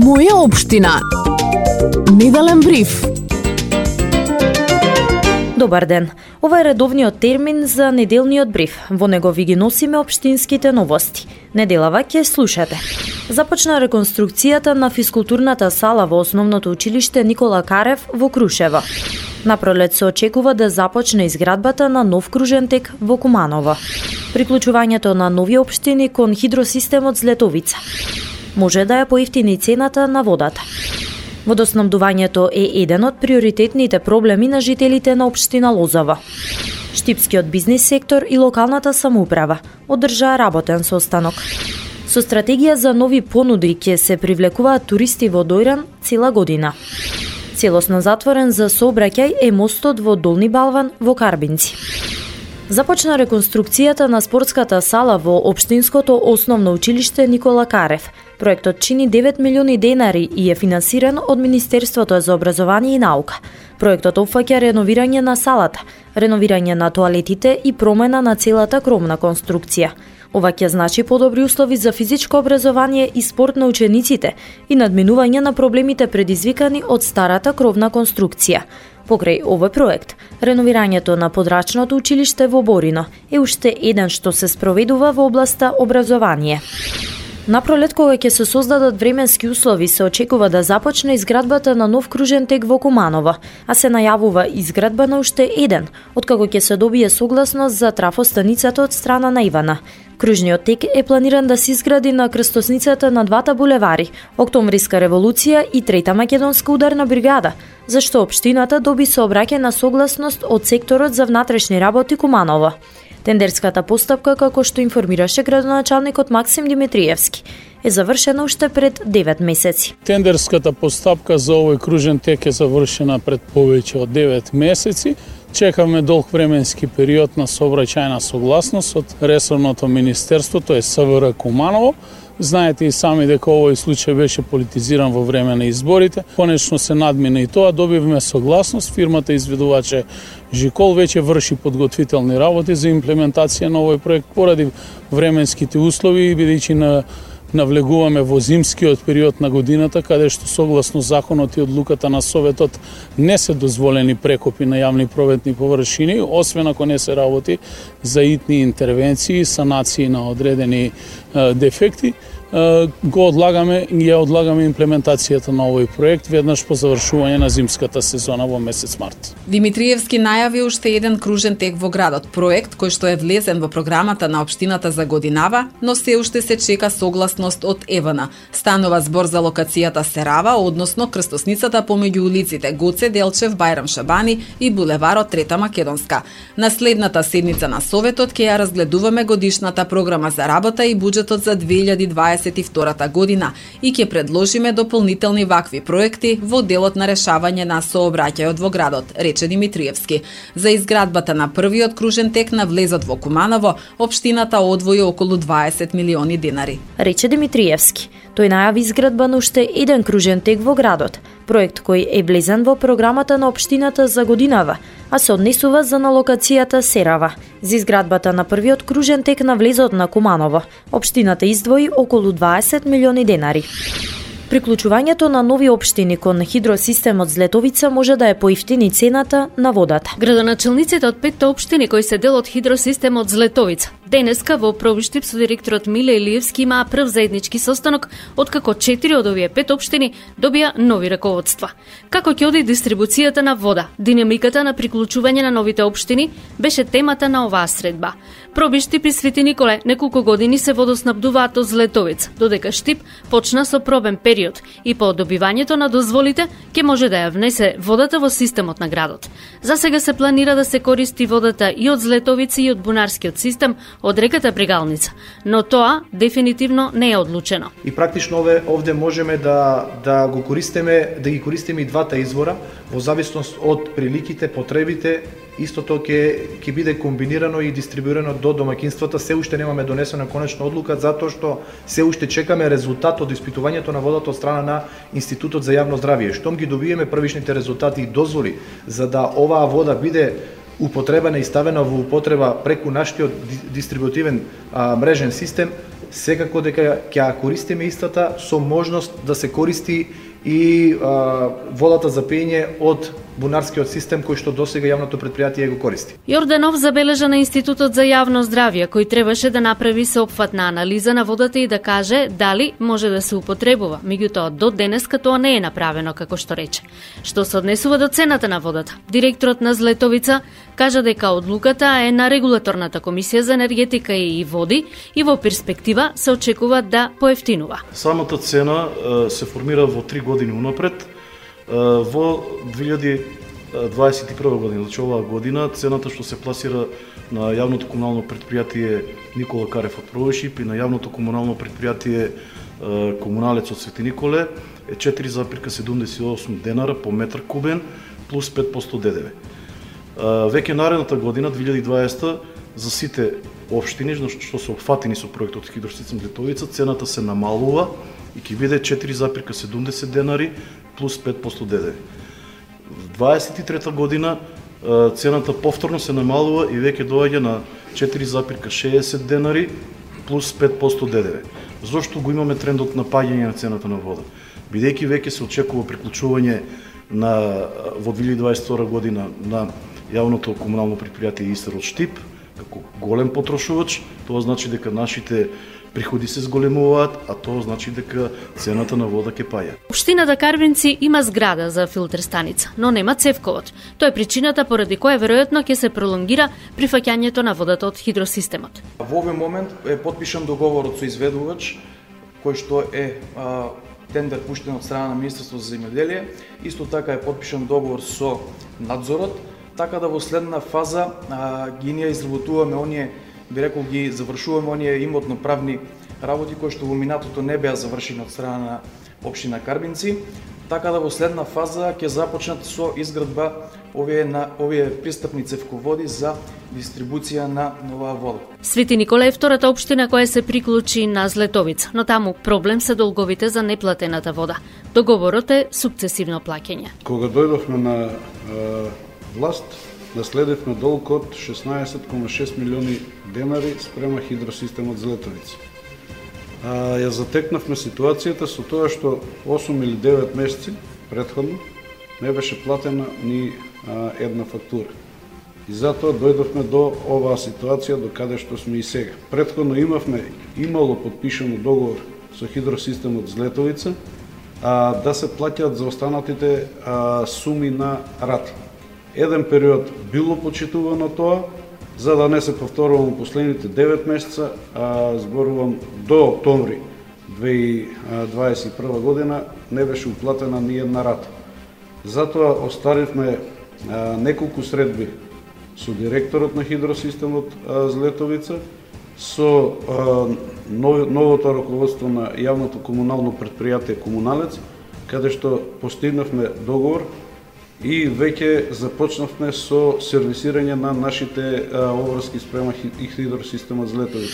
Моја општина. Неделен бриф. Добар ден. Ова е редовниот термин за неделниот бриф. Во него ви ги носиме општинските новости. Неделава ќе слушате. Започна реконструкцијата на физкултурната сала во основното училиште Никола Карев во Крушево. Напролет се очекува да започне изградбата на нов кружен тек во Куманово. Приклучувањето на нови општини кон хидросистемот Злетовица. Може да ја поевтини цената на водата. Водоснабдувањето е еден од приоритетните проблеми на жителите на општина Лозово. Штипскиот бизнис сектор и локалната самоуправа одржаа работен состанок. Со стратегија за нови понуди ќе се привлекуваат туристи во Дојран цела година. Целосно затворен за сообраќај е мостот во Долни Балван во Карбинци. Започна реконструкцијата на спортската сала во општинското основно училиште Никола Карев. Проектот чини 9 милиони денари и е финансиран од Министерството за образование и наука. Проектот опфаќа реновирање на салата, реновирање на тоалетите и промена на целата кромна конструкција. Ова ќе значи подобри услови за физичко образование и спорт на учениците и надминување на проблемите предизвикани од старата кровна конструкција. Покрај овој проект, реновирањето на подрачното училиште во Борино е уште еден што се спроведува во областа образование. Напролет, кога ќе се создадат временски услови, се очекува да започне изградбата на нов кружен тек во Куманово, а се најавува изградба на уште еден, откако ќе се добие согласност за трафостаницата од страна на Ивана. Кружниот тек е планиран да се изгради на крстосницата на двата булевари, Октомвриска револуција и Трета македонска ударна бригада, зашто општината доби сообраќајна согласност од секторот за внатрешни работи Куманово. Тендерската постапка, како што информираше градоначалникот Максим Димитриевски, е завршена уште пред 9 месеци. Тендерската постапка за овој кружен тек е завршена пред повеќе од 9 месеци. Чекаме долг временски период на сообраќајна согласност од ресорното министерство, тоа е СВР Куманово. Знаете и сами дека овој случај беше политизиран во време на изборите. Конечно се надмина и тоа, добивме согласност. Фирмата изведуваче Жикол веќе врши подготвителни работи за имплементација на овој проект поради временските услови, бидејќи навлегуваме во зимскиот период на годината, каде што согласно законот и одлуката на Советот не се дозволени прекопи на јавни проветни површини, освен ако не се работи за итни интервенции, санации на одредени дефекти. Го одлагаме и ја одлагаме имплементацијата на овој проект веднаш по завршување на зимската сезона во месец март. Димитриевски најави уште еден кружен тек во градот, проект кој што е влезен во програмата на општината за годинава, но се уште се чека согласност од ЕВН. Станува збор за локацијата Серава, односно крстосницата помеѓу улиците Гоце Делчев, Бајрам Шабани и булеварот Трета македонска. На следната седница на Советот ќе ја разгледуваме годишната програма за работа и буџетот за 2022 година и ќе предложиме дополнителни вакви проекти во делот на решавање на сообраќајот во градот, рече Димитриевски. За изградбата на првиот кружен тек на влезот во Куманово, општината одвои околу 20 милиони денари. Рече Димитриевски. Тој најави изградба на уште еден кружен тек во градот, проект кој е влезен во програмата на општината за годинава, а се однесува за на локацијата Серава. За изградбата на првиот кружен тек на влезот на Куманово, општината издвои околу 20 милиони денари. Приклучувањето на нови општини кон хидросистемот Злетовица може да е поевтини цената на водата. Градоначалниците од 5 општини кои се дел од хидросистемот Злетовица денеска во Пробиштип со директорот Миле Илиевски имаа прв заеднички состанок, откако 4 од овие 5 општини добија нови раководства. Како ќе оди дистрибуцијата на вода, динамиката на приклучување на новите општини беше темата на оваа средба. Пробиштип и Свети Николе неколку години се водоснабдуваат од Злетовица, додека Штип почна со пробен период и по добивањето на дозволите ќе може да ја внесе водата во системот на градот. За сега се планира да се користи водата и од Злетовица и од бунарскиот систем од реката Брегалница, но тоа дефинитивно не е одлучено. И практично овде можеме да го користиме, да ги користиме и двата извора во зависност од приликите, потребите. Истото ќе биде комбинирано и дистрибуирано до домаќинствата. Се уште немаме донесена конечна одлука затоа што се уште чекаме резултат од испитувањето на водата од страна на Институтот за јавно здравје. Штом ги добиеме првичните резултати и дозволи за да оваа вода биде употребена и ставена во употреба преку нашиот дистрибутивен мрежен систем, секако дека ќе ја користиме истата со можност да се користи и водата за пиење од бунарскиот систем кој што досега јавното предпријатие го користи. Јорданов забележа на Институтот за јавно здравје, кој требаше да направи сеопфатна анализа на водата и да каже дали може да се употребува, меѓутоа до денеска тоа не е направено како што рече. Што се однесува до цената на водата, директорот на Злетовица кажа дека одлуката е на регулаторната комисија за енергетика и води и во перспектива се очекува да поевтинува. Самата цена се формира во 3 години унапред. Во 2021 година, значи оваа година, цената што се пласира на јавното комунално предпријатие Никола Карев од Провишип и на јавното комунално предпријатие Комуналец од Свети Николе е 4,78 денара по метар кубен плюс 5% ДДВ. Веќе наредната година, 2020, за сите општини што се опфатени со проектот Хидросистем Злетовица, цената се намалува и ќе биде 4,70 денари плюс 5% ДДВ. В 2023 година цената повторно се намалува и веќе доаѓа на 4,60 денари плюс 5% ДДВ. Зошто го имаме трендот на паѓање на цената на вода? Бидејќи веќе се очекува приклучување во 2022 година на јавното комунално предпријатие Истер од Штип, како голем потрошувач, тоа значи дека нашите приходи се зголемуваат, а тоа значи дека цената на вода ќе паѓа. Општината Карвинци има зграда за филтер станица, но нема цевковод. Тоа е причината поради која веројатно ќе се пролонгира прифаќањето на водата од хидросистемот. Во овој момент е потпишан договорот со изведувач, кој што е тендер пуштен од страна на Министерството за земјоделие. Исто така е потпишан договор со надзорот, така да во следна фаза ги ние изработуваме оние, би рекол, ги завршуваме оние имотно-правни работи кои што во минатото не беа завршени од страна на општина Карбинци, така да во следна фаза ќе започнат со изградба овие пристапни цевководи за дистрибуција на оваа вода. Свети Никола е втората општина која се приклучи на Злетовица, но таму проблем се долговите за неплатената вода. Договорот е сукцесивно плаќање. Кога дојдовме на власт, наследивме долг од 16,6 милиони денари спрема хидросистемот Злетовица. Ја затекнавме ситуацијата со тоа што 8 или 9 месеци претходно не беше платена ни една фактура. И затоа дојдовме до оваа ситуација до каде што сме и сега. Претходно имало подпишано договор со хидросистемот Злетовица да се плаќаат за останатите суми на рати. Еден период било почитувано тоа, за да не се повторувам последните 9 месеца, зборувам до октомври 2021 година, не беше уплатена ни една рата. Затоа оставивме неколку средби со директорот на хидросистемот Злетовица, со новото раководство на јавното комунално предпријатие Комуналец, каде што постигнавме договор и веќе започнавме со сервисирање на нашите обврски спрема хидросистемот Злетовица.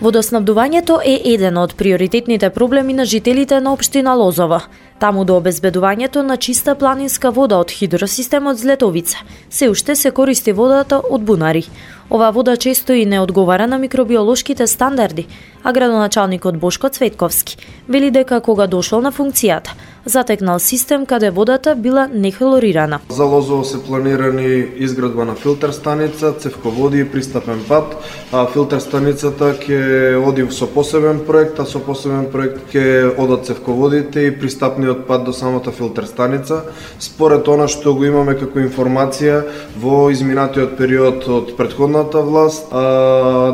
Водоснабдувањето е еден од приоритетните проблеми на жителите на општина Лозова. Таму до обезбедувањето на чиста планинска вода од хидросистемот Злетовица се уште се користи водата од бунари. Оваа вода често и не одговара на микробиолошките стандарди, а градоначалникот Бошко Цветковски вели дека кога дошол на функцијата, затекнал систем каде водата била нехлорирана. За Лозово се планирани изградба на филтер станица, цевководи и пристапен пат. Филтер станицата ќе оди со посебен проект, а со посебен проект ќе одат цевководите и пристапниот пат до самата филтер станица. Според она што го имаме како информација, во изминатиот период од претходната власт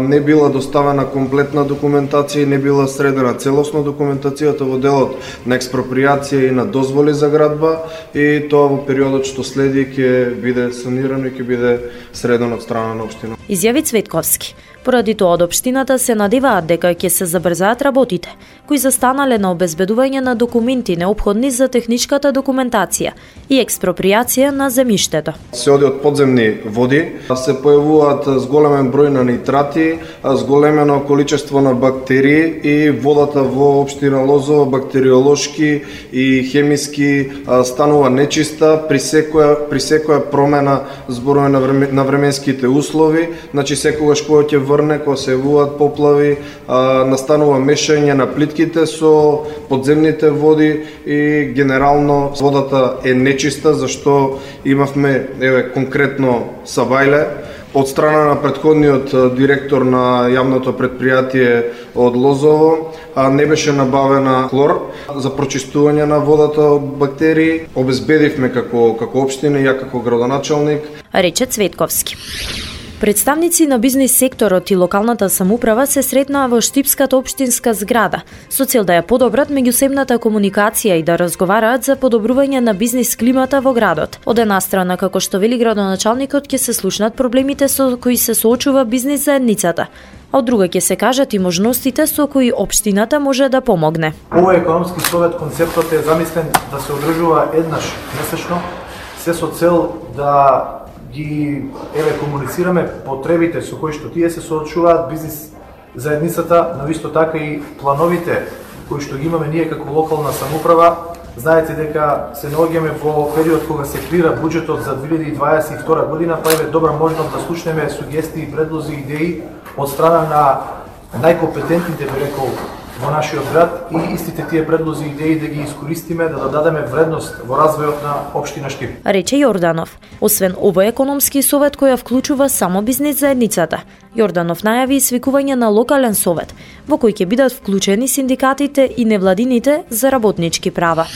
не била доставена комплетна документација и не била средена целосно документацијата во делот на експроприација и на дозволи за градба, и тоа во периодот што следи ќе биде санирано и ќе биде средено од страна на општина. Изјави Цветковски. Поради тоа од општината се надеваат дека ќе се забрзаат работите, кои застанале на обезбедување на документи неопходни за техничката документација и експроприација на земјиштето. Се оди од подземни води, се појавуваат зголемен број на нитрати, зголемено количество на бактерии и водата во општина Лозово бактериолошки и хемиски станува нечиста при секоја промена зборуваме на временските услови, значи секогаш кога ќе врне, кога се јавуваат поплави, настанува мешање на плитките со подземните води и генерално водата е нечиста, зашто имавме конкретно Савајле. Од страна на претходниот директор на јавното предпријатие од Лозово не беше набавена хлор за прочистување на водата од бактерии. Обезбедивме како општина и ја како градоначалник, рече Цветковски. Представници на бизнис секторот и локалната самоуправа се сретнаа во Штипската општинска зграда со цел да ја подобрат меѓусебната комуникација и да разговараат за подобрување на бизнис климата во градот. Од една страна, како што вели градоначалникот, ќе се слушнат проблемите со кои се соочува бизнис заедницата, а од друга ќе се кажат и можностите со кои општината може да помогне. Овој економски совет концептот е замислен да се одржува еднаш месечно, се со цел да ги комуницираме потребите со кои што тие се соочуваат бизнис заедницата, но исто така и плановите кои што ги имаме ние како локална самоуправа. Знаете дека се наоѓаме во период кога се крира буџетот за 2022 година, па е добра можност да слушнеме сугестии, предлози, идеи од страна на најкомпетентните, би рекол, во нашиот град и истите тие предлози и идеи да ги искористиме, да дадеме вредност во развојот на општина Штип. Рече Јорданов. Освен овој економски совет која вклучува само бизнис заедницата, Јорданов најави свикување на локален совет, во кој ќе бидат вклучени синдикатите и невладините за работнички права.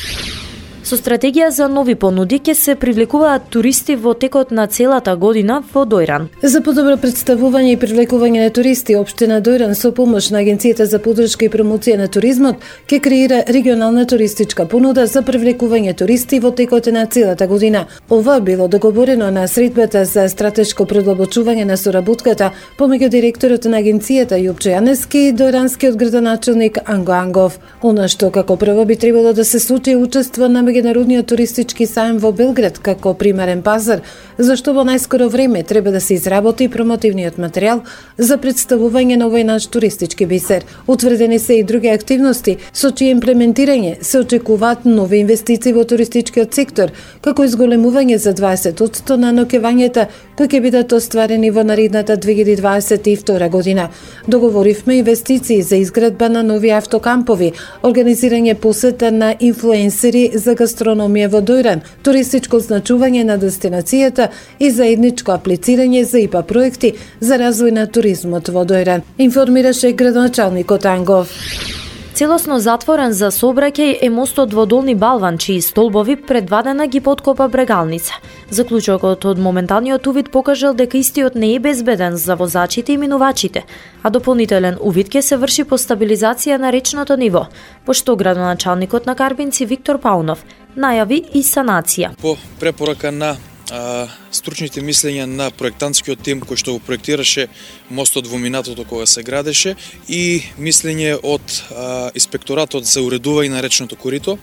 Со стратегија за нови понуди ќе се привлекуваат туристи во текот на целата година во Дојран. За подобро представување и привлекување на туристи, општина Дојран со помош на Агенцијата за поддршка и промоција на туризмот ќе креира регионална туристичка понуда за привлекување туристи во текот на целата година. Ова било договорено на средбата за стратешко продлабочување на соработката помеѓу директорот на агенцијата Јупче Јанески и дојранскиот градоначалник Анго Ангов. Она што како прво би требало да се случи учество на меѓународниот туристички сајм во Белград како примерен пазар, зашто во најскоро време треба да се изработи промотивниот материјал за представување на овој наш туристички бисер. Утврдени се и други активности со чие имплементирање се очекуваат нови инвестиции во туристичкиот сектор, како изголемување за 20% на ноќевањата кои ќе бидат остварени во наредната 2022 година. Договоривме инвестиции за изградба на нови автокампови, организирање посета на инфлуенсери за гастрономија во Дојран, туристичко значување на дестинацијата и заедничко аплицирање за ИПА проекти за развој на туризмот во Дојран, информираше градоначалникот Ангов. Целосно затворен за сообраќај е мостот во Долни Балван, чии столбови предвадена ги поткопа брегалница. Заклучокот од моменталниот увид покажал дека истиот не е безбеден за возачите и минувачите, а дополнителен увид ќе се врши по стабилизација на речното ниво, пошто градоначалникот на Карбинци Виктор Паунов најави и санација. По препорака на стручните мислења на проектантскиот тим кој што го проектираше мостот во минатото кога се градеше и мислење од инспекторатот за уредување на речното корито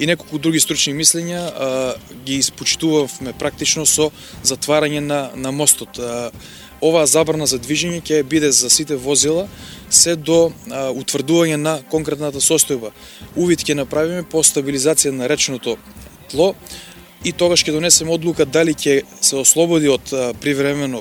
и неколку други стручни мислења ги испочитувавме практично со затварање на мостот. Оваа забрана за движење ќе биде за сите возила се до утврдување на конкретната состојба. Увид ќе направиме по стабилизација на речното тло и тогаш ќе донесеме одлука дали ќе се ослободи од привремено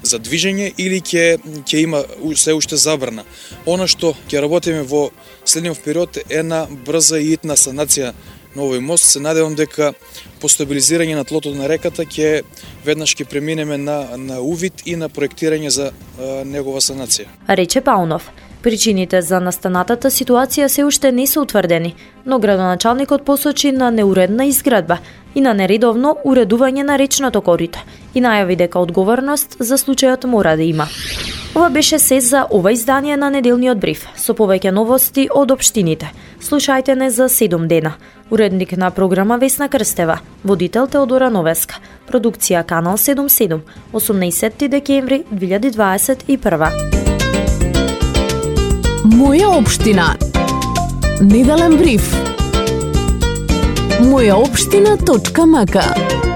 за движење или ќе има се уште забрана. Она што ќе работиме во следниот период е на брза и итна санација на овој мост. Се надевам дека по стабилизирање на тлото на реката ќе веднаш ќе преминеме на увид и на проектирање за негова санација. Рече Паунов. Причините за настанатата ситуација се уште не се утврдени, но градоначалникот посочи на неуредна изградба и на нередовно уредување на речното корито и најави дека одговорност за случајот мора да има. Ова беше се за ова издание на неделниот бриф, со повеќе новости од општините. Слушајте не за 7 дена. Уредник на програма Весна Крстева, водител Теодора Новеска, продукција Канал 77, 18 декември 2021. Моја општина. Неделен бриф. Мојаопштина.мк